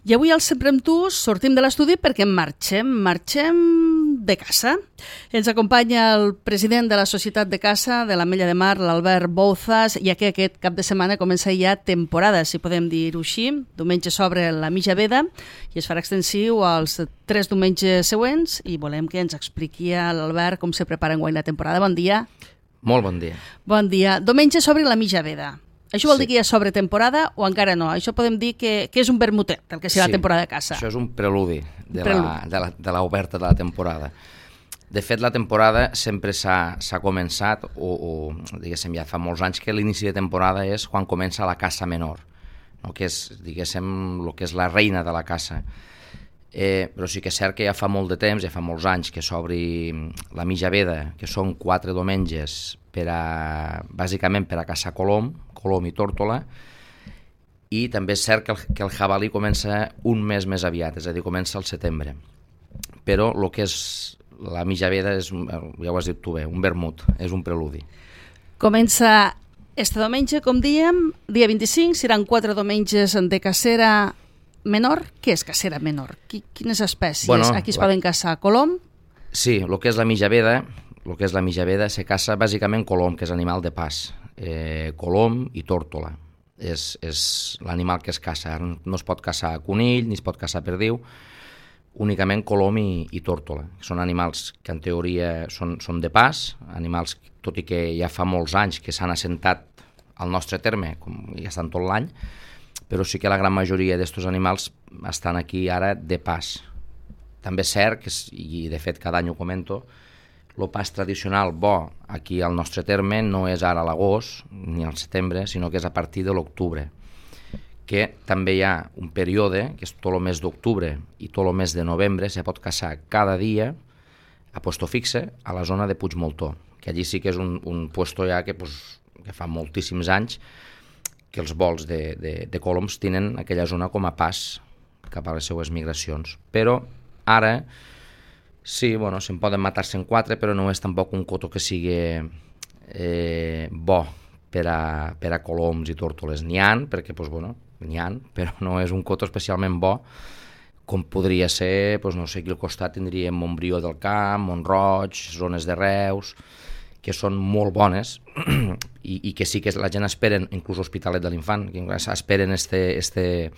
I avui al Sempre amb tu sortim de l'estudi perquè marxem de caça. Ens acompanya el president de la Societat de Caça de l'Ametlla de Mar, l'Albert Bouzas, ja que aquest cap de setmana comença ja temporada, si podem dir-ho així. Diumenge s'obre la mitja veda i es farà extensiu als 3 diumenges següents i volem que ens expliqui a l'Albert com se prepara enguany la temporada. Bon dia. Molt bon dia. Bon dia. Diumenge s'obre la mitja veda. Això vol dir que ja s'obre temporada o encara no? Això podem dir que és un vermutet, el que serà la temporada de caça. Això és un preludi de l'oberta de la temporada. De fet, la temporada sempre s'ha començat, o diguéssim, ja fa molts anys que l'inici de temporada és quan comença la caça menor, no? Que és, diguéssim, el que és la reina de la caça. Però sí que és cert que ja fa molt de temps, ja fa molts anys que s'obri la mitja veda, que són 4 diumenges bàsicament per a caçar colom i tórtola, i també és cert que el jabalí comença un mes més aviat, és a dir, comença al setembre. Però el que és la mitja veda és, ja ho has dit tu bé, un vermut, és un preludi. Comença este diumenge, com dèiem, dia 25, seran 4 diumenges de cacera menor. Què és cacera menor? Quines espècies? Aquí es poden caçar colom? Sí, el que és la mitja veda se caça bàsicament colom, que és animal de pas. Colom i tórtola és l'animal que es caça. No es pot caçar conill ni es pot caçar perdiu, únicament colom i tórtola. Són animals que en teoria són de pas, animals, tot i que ja fa molts anys que s'han assentat al nostre terme, com ja estan tot l'any, però sí que la gran majoria d'estos animals estan aquí ara de pas. També és cert, i de fet cada any ho comento, el pas tradicional bo aquí al nostre terme no és ara a l'agost ni al setembre, sinó que és a partir de l'octubre, que també hi ha un període, que és tot el mes d'octubre i tot el mes de novembre, se pot caçar cada dia a puesto fixe a la zona de Puigmoltó, que allí sí que és un puesto ja que fa moltíssims anys que els vols de coloms tenen aquella zona com a pas cap a les seues migracions. Però ara sí, se'n poden matar 104, però no és tampoc un coto que sigui bo per a coloms i tórtoles. N'hi ha, perquè, n'hi ha, però no és un coto especialment bo, com podria ser, no sé, aquí al costat tindríem Montbrió del Camp, Mont-roig, zones de Reus, que són molt bones i que sí que la gent esperen, inclús Hospitalet de l'Infant, que esperen este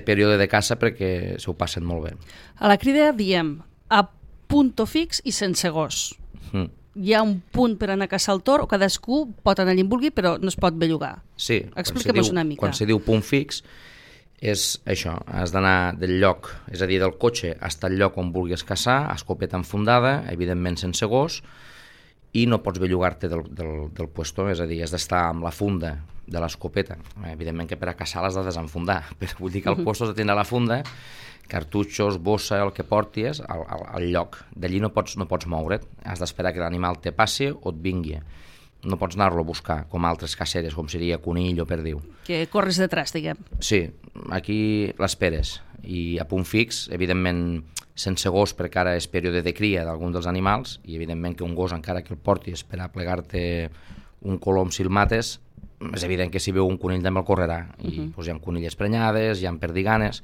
període de caça perquè s'ho passen molt bé. A la crida diem a punto fix i sense gos. Hi ha un punt per anar a caçar el tor o cadascú pot anar allà on vulgui però no es pot bellugar. Sí, expliquem-nos una mica. Quan se diu punt fix és això, has d'anar del lloc, és a dir, del cotxe fins al lloc on vulguis caçar, escopeta enfundada, evidentment sense gos, i no pots bellugar-te del puesto, és a dir, has d'estar amb la funda de l'escopeta. Evidentment que per a caçar l'has de desenfundar, però vull dir que el puesto has de tenir la funda, cartutxos, bossa, el que portis, al lloc. D'allí no pots moure't, has d'esperar que l'animal te passi o et vingui. No pots anar-lo a buscar, com altres caceres, com seria conill o perdiu. Que corres detrás, diguem. Sí, aquí l'esperes. I a punt fix, evidentment, sense gos, perquè ara és període de cria d'algun dels animals, i evidentment que un gos, encara que el portis per a plegar-te un colom si el mates, és evident que si veu un conill també el correrà. I hi ha conilles prenyades, hi ha perdiganes,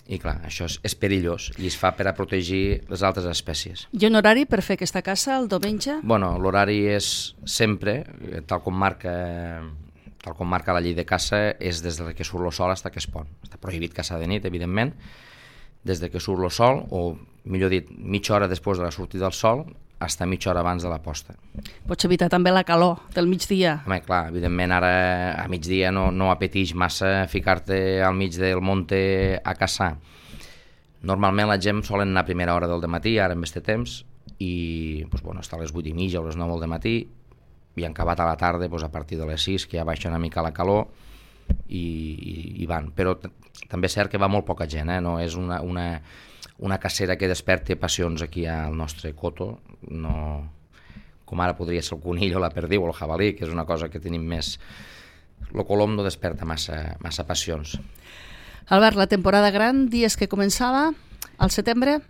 i clar, això és perillós i es fa per a protegir les altres espècies. Hi ha un horari per fer aquesta caça el diumenge? L'horari és sempre, tal com marca la llei de caça, és des que surt el sol fins que es pon. Està prohibit caçar de nit, evidentment, des que surt el sol, o millor dit, mitja hora després de la sortida del sol, fins mitja hora abans de la posta. Pots evitar també la calor del migdia. Home, clar, evidentment ara a migdia no apeteix massa ficar-te al mig del monte a caçar. Normalment la gent solen anar a primera hora del dematí, ara en este temps, i està a les 8:30 o les 9 del matí, i han acabat a la tarda a partir de les 6, que ja baixa una mica la calor, i van. Però també és cert que va molt poca gent, no és una cacera que desperte passions aquí al nostre coto, no, com ara podria ser el conill o la perdiu o el jabalí, que és una cosa que tenim més. El colom no desperta massa passions. Albert, la temporada gran, dies que començava al setembre?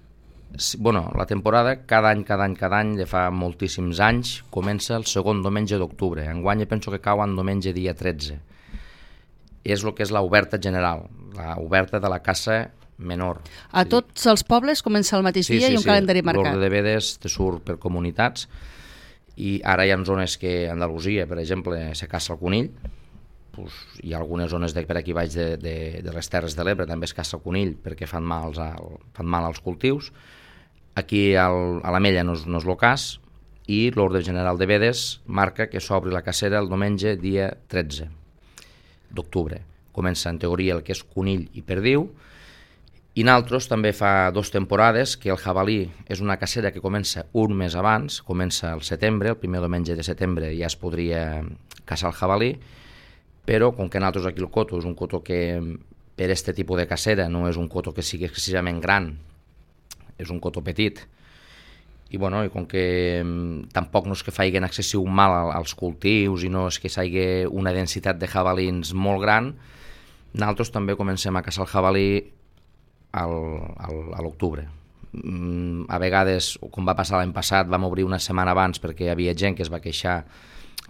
La temporada cada any, de fa moltíssims anys, comença el segon diumenge d'octubre. Enguany penso que cau en diumenge dia 13. és el que és l'oberta general, l'oberta de la caça menor. A tots els pobles comença el mateix dia i un calendari marcat. L'ordre de Vedes te surt per comunitats i ara hi ha zones que a Andalusia, per exemple, se caça el conill, hi ha algunes zones per aquí baix de les Terres de l'Ebre també es caça el conill perquè fan mal als cultius. Aquí a l'Ametlla no és el cas i l'ordre general de Vedes marca que s'obri la cacera el diumenge dia 13 d'octubre. Comença en teoria el que és conill i perdiu. I nosaltres també fa 2 temporades que el jabalí és una cacera que comença un mes abans, comença al setembre, el primer diumenge de setembre ja es podria caçar el jabalí, però com que nosaltres aquí el coto és un coto que per aquest tipus de cacera no és un coto que sigui excessivament gran, és un coto petit, i com que tampoc no és que faiguen excessiu mal als cultius i no és que s'hagi una densitat de jabalins molt gran, nosaltres també comencem a caçar el jabalí a l'octubre. A vegades, com va passar l'any passat, vam obrir una setmana abans perquè hi havia gent que es va queixar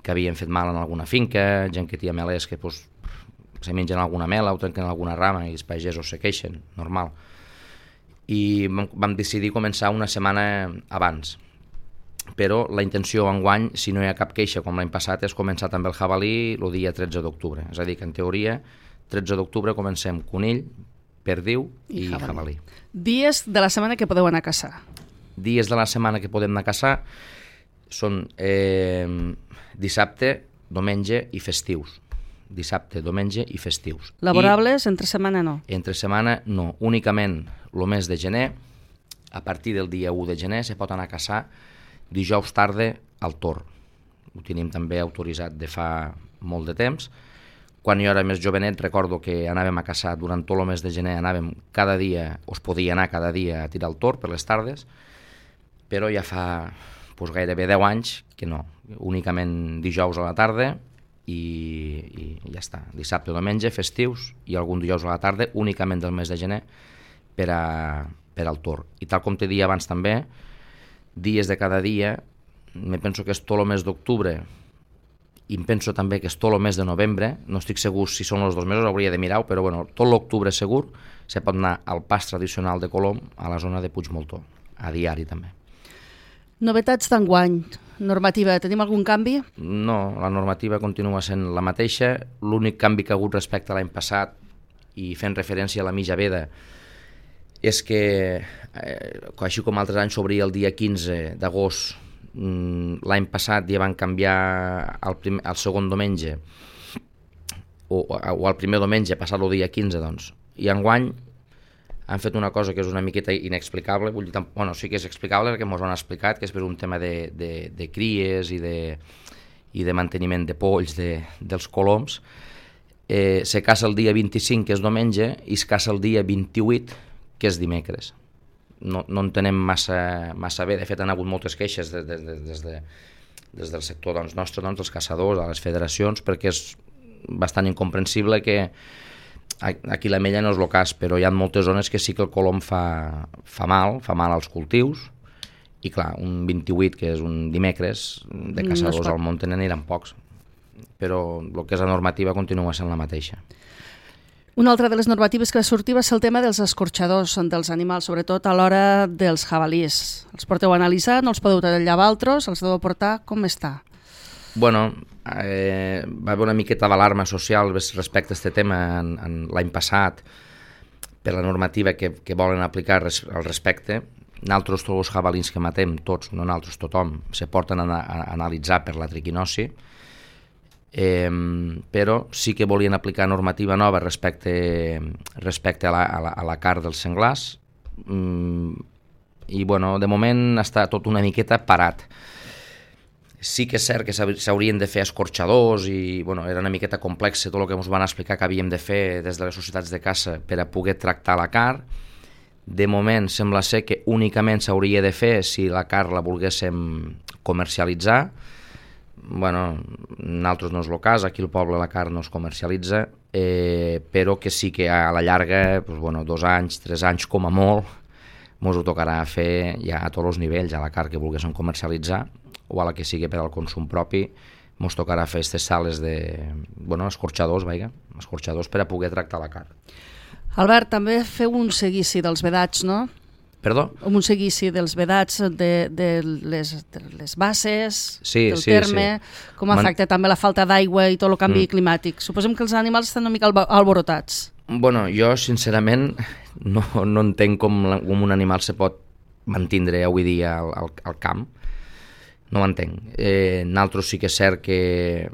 que havien fet mal en alguna finca, gent que tia melers que se mengen alguna mela o trenquen alguna rama i els pagesos se queixen, normal. I vam decidir començar una setmana abans. Però la intenció enguany, si no hi ha cap queixa com l'any passat, és començar també el jabalí el dia 13 d'octubre. És a dir, que en teoria, 13 d'octubre comencem conill, perdiu i jabalí. Dies de la setmana que podeu anar a caçar? Dies de la setmana que podem anar a caçar són dissabte, diumenge i festius. Dissabte, diumenge i festius. Laborables, entre setmana no? Entre setmana no. Únicament el mes de gener, a partir del dia 1 de gener, se pot anar a caçar dijous tarda al Tor. Ho tenim també autoritzat de fa molt de temps. Quan jo era més jovenet recordo que anàvem a caçar durant tot el mes de gener, anàvem cada dia, o es podia anar cada dia a tirar el tor per les tardes, però ja fa gairebé 10 anys que no, únicament dijous a la tarda i ja està. Dissabte o diumenge, festius i algun dijous a la tarda, únicament del mes de gener per al tor. I tal com t'he dit abans també, dies de cada dia, me penso que és tot el mes d'octubre i em penso també que és tot el mes de novembre, no estic segur si són els 2 mesos, hauria de mirar-ho, però tot l'octubre segur se pot anar al pas tradicional de Colom a la zona de Puigmoltó, a diari també. Novetats d'enguany, normativa, tenim algun canvi? No, la normativa continua sent la mateixa, l'únic canvi que ha hagut respecte a l'any passat i fent referència a la mitja veda és que, així com altres anys s'obria el dia 15 d'agost, l'any passat ja van canviar el segon diumenge o el primer diumenge passat el dia 15 doncs. I enguany han fet una cosa que és una miqueta inexplicable, sí que és explicable perquè ens ho han explicat, que és per un tema de cries i de manteniment de polls dels coloms. Se caça el dia 25 que és diumenge i es caça el dia 28 que és dimecres. No entenem massa bé, de fet han hagut moltes queixes des del sector nostre, dels caçadors, de les federacions, perquè és bastant incomprensible que aquí l'Ametlla no és el cas, però hi ha moltes zones que sí que el colom fa mal als cultius, i clar, un 28 que és un dimecres, de caçadors al munt n'aniran pocs, però el que és la normativa continua sent la mateixa. Una altra de les normatives que va sortir va ser el tema dels escorxadors dels animals, sobretot a l'hora dels jabalís. Els porteu a analitzar, no els podeu tallar altres, els deveu portar, com està? Va haver una miqueta d'alarma social respecte a aquest tema l'any passat per la normativa que volen aplicar al respecte. Nosaltres, tots els jabalins que matem, tots, no nosaltres, tothom, se porten a analitzar per la triquinosi, però sí que volien aplicar normativa nova respecte a la carn dels senglars i de moment està tot una miqueta parat. Sí que és cert que s'haurien de fer escorxadors i era una miqueta complex tot el que ens van explicar que havíem de fer des de les societats de caça per a poder tractar la carn. De moment sembla ser que únicament s'hauria de fer si la carn la volguéssim comercialitzar. Nosaltres no és el cas, aquí al poble la carn no es comercialitza, però que sí que a la llarga, 2 anys, 3 anys com a molt, ens ho tocarà fer ja a tots els nivells, a la carn que volguéssim comercialitzar o a la que sigui per al consum propi, ens tocarà fer aquestes sales escorxadors, escorxadors per a poder tractar la carn. Albert, també feu un seguici dels vedats, no? Perdó? Un seguici dels vedats de les bases, del Sí. terme, com afecta també la falta d'aigua i tot el canvi climàtic. Suposem que els animals estan una mica alborotats. Bueno, jo sincerament no entenc com un animal se pot mantindre avui dia al camp. No ho entenc. Nosaltres sí que és cert que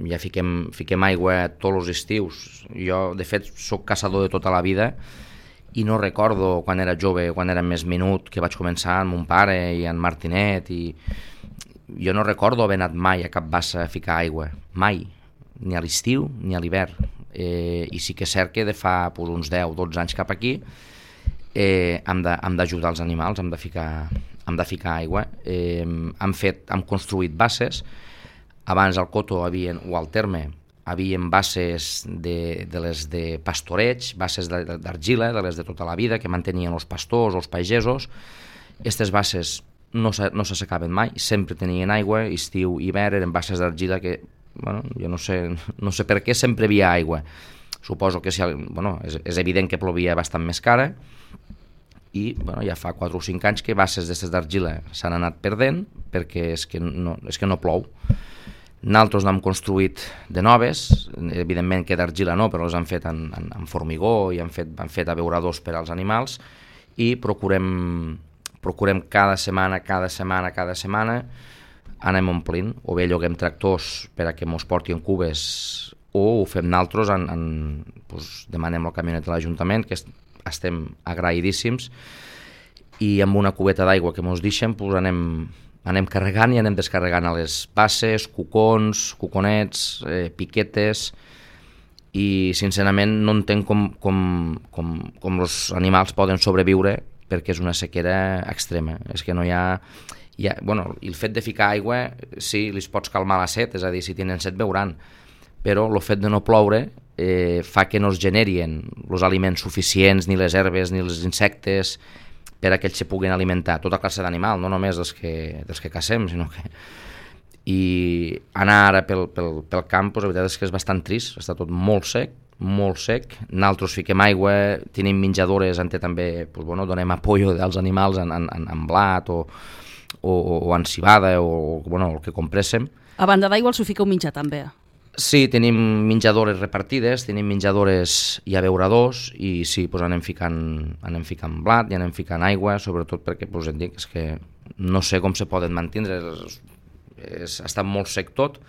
ja fiquem aigua tots els estius. Jo, de fet, sóc caçador de tota la vida i no recordo quan era jove, quan era més minut, que vaig començar amb mon pare i en Martinet, i jo no recordo haver anat mai a cap bassa a ficar aigua, mai, ni a l'estiu ni a l'hivern. I sí que és cert que de fa uns 10-12 anys cap aquí hem d'ajudar els animals, hem de ficar aigua. Hem construït basses. Abans al Coto o al Terme havien basses de les de pastoreig, basses d'argila, de les de tota la vida, que mantenien els pastors o els pagesos. Aquestes basses no s'assecaven mai, sempre tenien aigua, estiu i hivern, eren basses d'argila que, bueno, jo no sé per què sempre hi havia aigua. Suposo que és evident que plovia bastant més cara, i ja fa 4 o 5 anys que basses d'aquestes d'argila s'han anat perdent perquè és que no plou. Nosaltres n'hem construït de noves, evidentment que d'argila no, però les han fet en formigó i han fet abeuradors per als animals, i procurem cada setmana anem omplint, o bé lloguem tractors per a que mos portin cubes, o ho fem nosaltres, demanem el camionet de l'Ajuntament, que estem agraïdíssims, i amb una cubeta d'aigua que mos deixen anem carregant i anem descarregant a les basses, cuconets, piquetes, i sincerament no entenc com els animals poden sobreviure, perquè és una sequera extrema. És que no hi ha... el fet de ficar aigua, sí, li pots calmar la set, és a dir, si tenen set beuran, però el fet de no ploure fa que no es generin els aliments suficients, ni les herbes, ni els insectes, per a que ells se puguin alimentar, tota classe d'animal, no només dels que cacem, sinó que... I anar ara pel camp, la veritat és que és bastant trist, està tot molt sec. Nosaltres fiquem aigua, tenim menjadores on també donem apoyo als animals en blat o en cibada o el que compréssim. A banda d'aigua els ho fiqueu menjar també? Sí, tenim menjadores repartides, tenim menjadores i abeuradors, i sí, anem ficant blat i anem ficant aigua, sobretot perquè, em dic, és que no sé com se poden mantindre, està molt sec tot,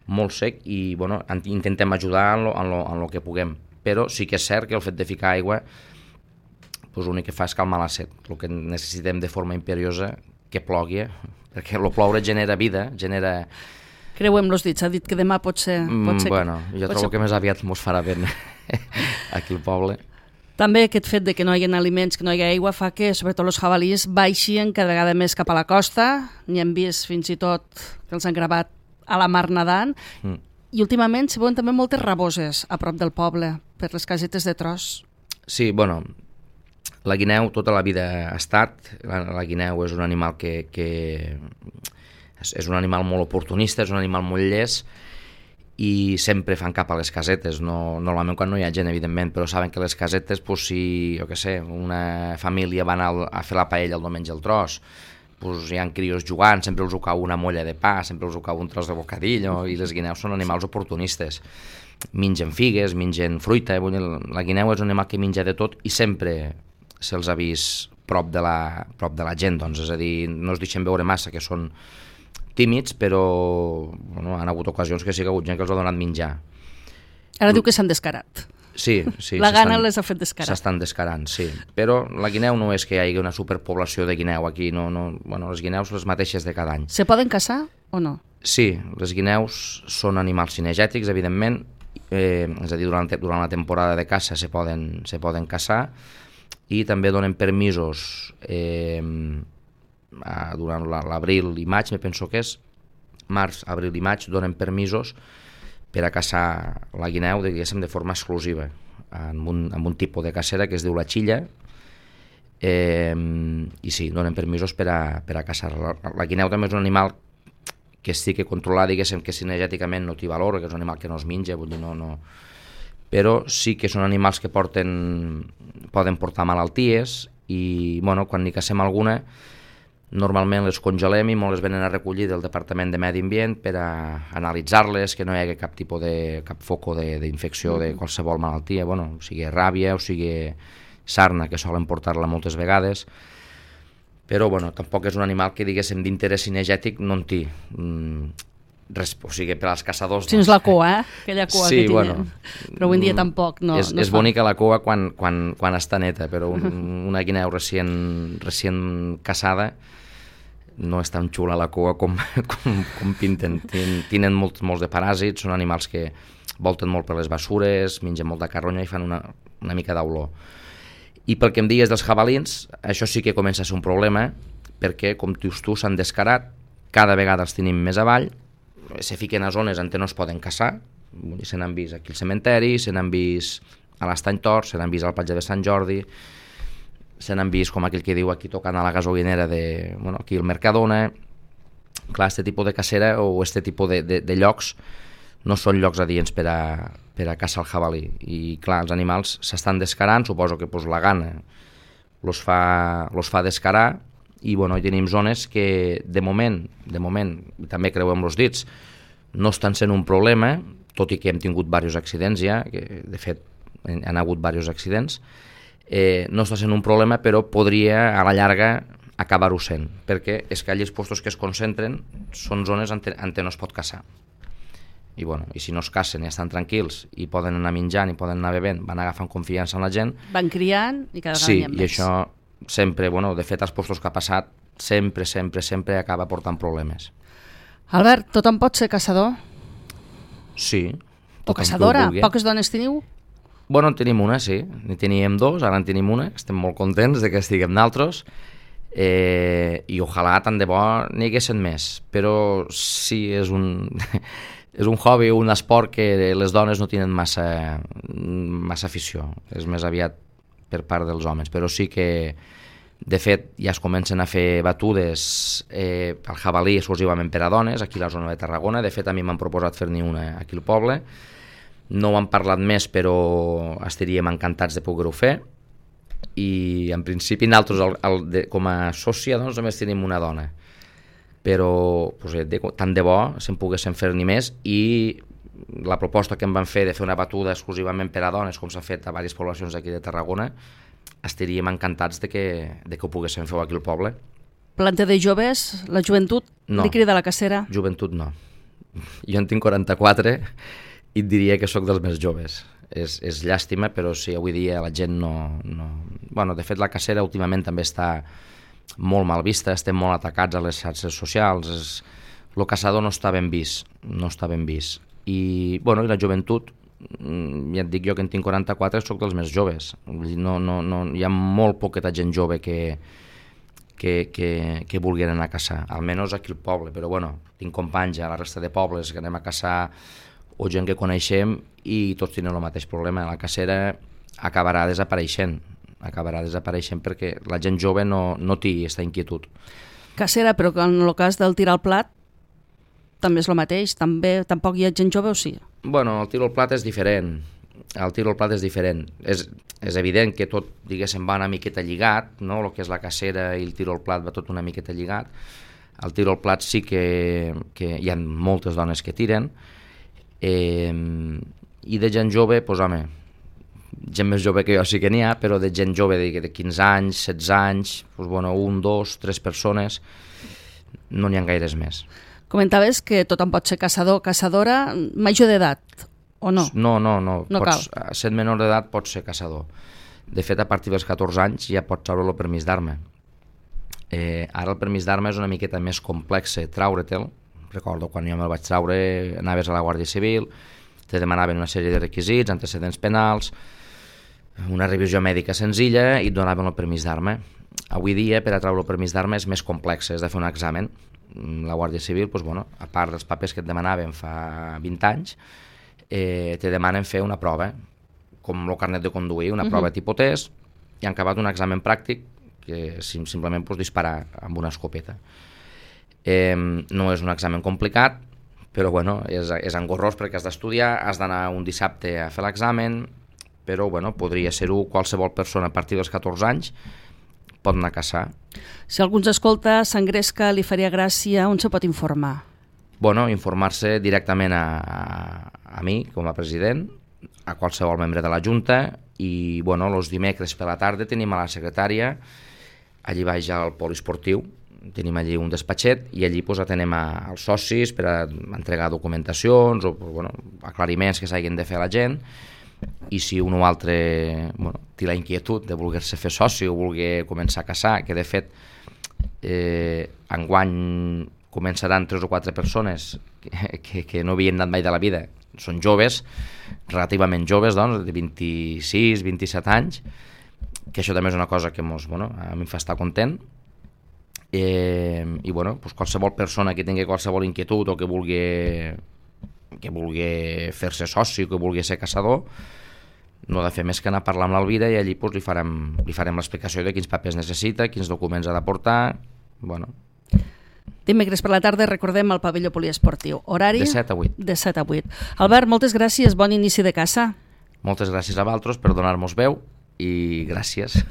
molt sec, i intentem ajudar en lo que puguem, però sí que és cert que el fet de ficar aigua l'únic que fa és calmar la set. El que necessitem de forma imperiosa que plogui, perquè el ploure genera vida, genera... Creuem los dits, ha dit que demà pot ser... Jo trobo que més aviat mos farà vent aquí al poble. També aquest fet de que no hi ha aliments, que no hi ha aigua, fa que, sobretot els jabalís, baixin cada vegada més cap a la costa. N'hi hem vist fins i tot que els han gravat a la mar nedant. I últimament s'hi veuen també moltes raboses a prop del poble, per les casetes de tros. Sí, la guineu tota la vida ha estat. La guineu és un animal que és un animal molt oportunista, és un animal molt llest, i sempre fan cap a les casetes, normalment quan no hi ha gent, evidentment, però saben que les casetes, si, una família va anar a fer la paella el diumenge al tros, hi ha crios jugant, sempre els ho cau una molla de pa, sempre els ho cau un tros de bocadillo, i les guineus són animals oportunistes. Mengen figues, mengen fruita, la guineu és un animal que menja de tot, i sempre se'ls ha vist prop de la gent, és a dir, no es deixen veure massa, que són tímids, però han hagut ocasions que sí que ha hagut gent que els ha donat menjar. Ara diu que s'han descarat. Sí. La gana les ha fet descarar. S'estan descarant, sí. Però la guineu no és que hi hagi una superpoblació de guineu aquí, les guineus les mateixes de cada any. Se poden caçar o no? Sí, les guineus són animals cinegètics, evidentment, és a dir, durant la temporada de caça se poden caçar, i també donen permisos durant l'abril i maig, me penso que és març, abril i maig, donen permisos per a caçar la guineu, diguéssim, de forma exclusiva, amb un tipus de cacera que es diu la xilla, i sí, donen permisos per a caçar. La guineu també és un animal que estigui controlat, diguéssim, que cinegèticament no té valor, que és un animal que no es menja, vull dir, però sí que són animals que poden portar malalties i quan n'hi cassem alguna normalment les congelem i molt les venen a recollir del Departament de Medi Ambient per a analitzar-les, que no hi hagi cap foco d'infecció de qualsevol malaltia, o sigui ràbia o sigui sarna, que solen portar-la moltes vegades, però tampoc és un animal que diguéssim d'interès cinegètic no en té res, o sigui, per als caçadors... Si no és la cua, aquella cua sí, que tenen. Però avui en dia tampoc no és bonica la cua quan està neta, però una guineu recient caçada no és tan xula la cua com pinten. Tenen molts de paràsits, són animals que volten molt per les bessures, mengen molta carronya i fan una mica d'olor. I pel que em digues dels jabalins, això sí que comença a ser un problema, perquè, com dius tu, s'han descarat, cada vegada els tenim més avall, se fiquen a zones on no es poden caçar, se n'han vist aquí al cementeri, se n'han vist a l'Estany Tor, se n'han vist al Platja de Sant Jordi, se n'han vist, com aquell que diu, aquí tocant a la gasolinera aquí al Mercadona. Clar, aquest tipus de cacera o aquest tipus de llocs no són llocs adients per a caçar el jabalí. I clar, els animals s'estan descarant, suposo que la gana los fa descarar, i hi tenim zones que de moment, també creuem els dits, no estan sent un problema, tot i que hem tingut diversos accidents ja, que de fet han hagut diversos accidents, no està sent un problema, però podria a la llarga acabar-ho sent, perquè és que allí els puestos que es concentren són zones on no es pot caçar. I si no es cacen i estan tranquils i poden anar menjant i poden anar bevent, van agafant confiança en la gent. Van criant i cada vegada n'hi ha més. Sí, i això sempre, de fet, als puestos que ha passat, sempre acaba portant problemes. Albert, tothom pot ser caçador? Sí. O caçadora? Poques dones teniu? En tenim una, sí. N'hi teníem dos, ara en tenim una. Estem molt contents de que estiguem d'altres. I ojalà tant de bo n'hi haguessin més. Però sí, és un hobby, un esport que les dones no tenen massa afició. És més aviat per part dels homes. Però sí que, de fet, ja es comencen a fer batudes el jabalí exclusivament per a dones, aquí a la zona de Tarragona. De fet, a mi m'han proposat fer-n'hi una aquí al poble. No ho han parlat més, però estaríem encantats de poder-ho fer. I en principi nosaltres com a sòcia només tenim una dona, però tant de bo se'n poguessin fer-n'hi més. I la proposta que em van fer de fer una batuda exclusivament per a dones, com s'ha fet a diverses poblacions d'aquí de Tarragona, estaríem encantats de que ho poguessin fer aquí al poble. Planta de joves, la joventut li crida a la cacera? Joventut no. Jo en tinc 44 i et diria que sóc dels més joves. És llàstima, però sí, avui dia la gent no... de fet, la cacera últimament també està molt mal vista, estem molt atacats a les xarxes socials, el caçador no està ben vist, I la joventut, ja et dic jo que en tinc 44, sóc dels més joves. Hi ha molt poqueta gent jove que vulguin anar a caçar, almenys aquí al poble, però tinc companys a la resta de pobles que anem a caçar o gent que coneixem i tots tenen el mateix problema. La cacera acabarà desapareixent perquè la gent jove no té aquesta inquietud. Cacera, però en el cas del tir al plat també és el mateix? Tampoc hi ha gent jove o sí? El tir al plat és diferent. És evident que tot, diguéssim, va una miqueta lligat, no? El que és la cacera i el tir al plat va tot una miqueta lligat. El tir al plat sí que hi ha moltes dones que tiren, i de gent jove, gent més jove que jo sí que n'hi ha, però de gent jove de 15 anys, 16 anys, 1, 2, 3 persones, no n'hi ha gaires més. Comentaves que tothom pot ser caçador o caçadora major d'edat, o no? No cal. Sent menor d'edat pots ser caçador. De fet, a partir dels 14 anys ja pots treure el permís d'arma. Ara el permís d'arma és una miqueta més complex treure-te'l. Recordo quan jo me'l vaig treure, anaves a la Guàrdia Civil, te demanaven una sèrie de requisits, antecedents penals, una revisió mèdica senzilla i et donaven el permís d'arma. Avui dia, per a treure el permís d'arma és més complex, has de fer un examen. La Guàrdia Civil, a part dels papers que et demanaven fa 20 anys, te demanen fer una prova, com el carnet de conduir, una prova tipus test, i han acabat un examen pràctic que simplement pots disparar amb una escopeta. No és un examen complicat, però bueno, és engorrós perquè has d'estudiar, has d'anar un dissabte a fer l'examen, però bueno, podria ser-ho qualsevol persona a partir dels 14 anys pot anar a caçar. Si algú ens escolta, s'engresca, li faria gràcia, on se pot informar? Bueno, informar-se directament a mi, com a president, a qualsevol membre de la Junta, i bueno, els dimecres per la tarda tenim a la secretària, allí baix al poliesportiu, tenim allí un despatxet i allí pues, atenem als socis per a entregar documentacions o bueno, aclariments que s'hagin de fer a la gent, i si un o altre bueno, té la inquietud de voler-se fer soci o voler començar a caçar, que de fet enguany començaran 3 o 4 persones que no havien anat mai de la vida, són joves, relativament joves, doncs, de 26, 27 anys, que això també és una cosa que a mi em fa estar content, i bueno, doncs qualsevol persona que tingui qualsevol inquietud o que vulgui fer-se soci o que vulgui ser caçador, no ha de fer més que anar a parlar amb l'Alvira i allí doncs, li farem l'explicació de quins papers necessita, quins documents ha de portar. Bueno. Dimecres per la tarda recordem el pavelló poliesportiu. Horari? De 7 a 8. De 7 a 8. Albert, moltes gràcies, bon inici de caça. Moltes gràcies a vosaltres per donar-nos veu i gràcies.